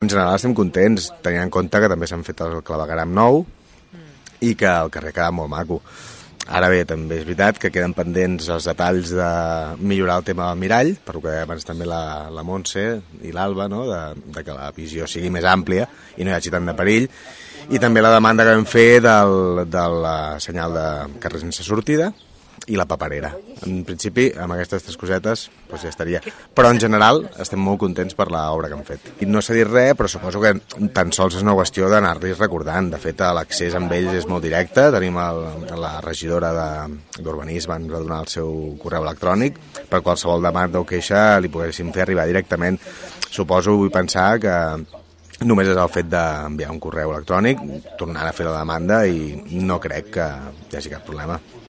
En general estem contents, tenint en compte que també s'han fet el clavegueram nou i que el carrer ha quedat molt maco. Ara bé, també és veritat que queden pendents els detalls de millorar el tema del mirall, per lo que abans també la Montse i l'Alba, no? de que la visió sigui més àmplia i no hi hagi tant de perill, i també la demanda que vam fer del senyal de carrer sense sortida i la paperera. En principi, amb aquestes tres cosetes doncs ja estaria. Però en general estem molt contents per l'obra que han fet. I no s'ha dit res, però suposo que tan sols és una qüestió d'anar-los recordant. De fet, l'accés amb ells és molt directe. Tenim la regidora d'Urbanisme, ens va donar el seu correu electrònic, per qualsevol demanda o queixa li poguéssim fer arribar directament. Suposo, vull pensar que només és el fet d'enviar un correu electrònic, tornant a fer la demanda, i no crec que hi hagi cap problema.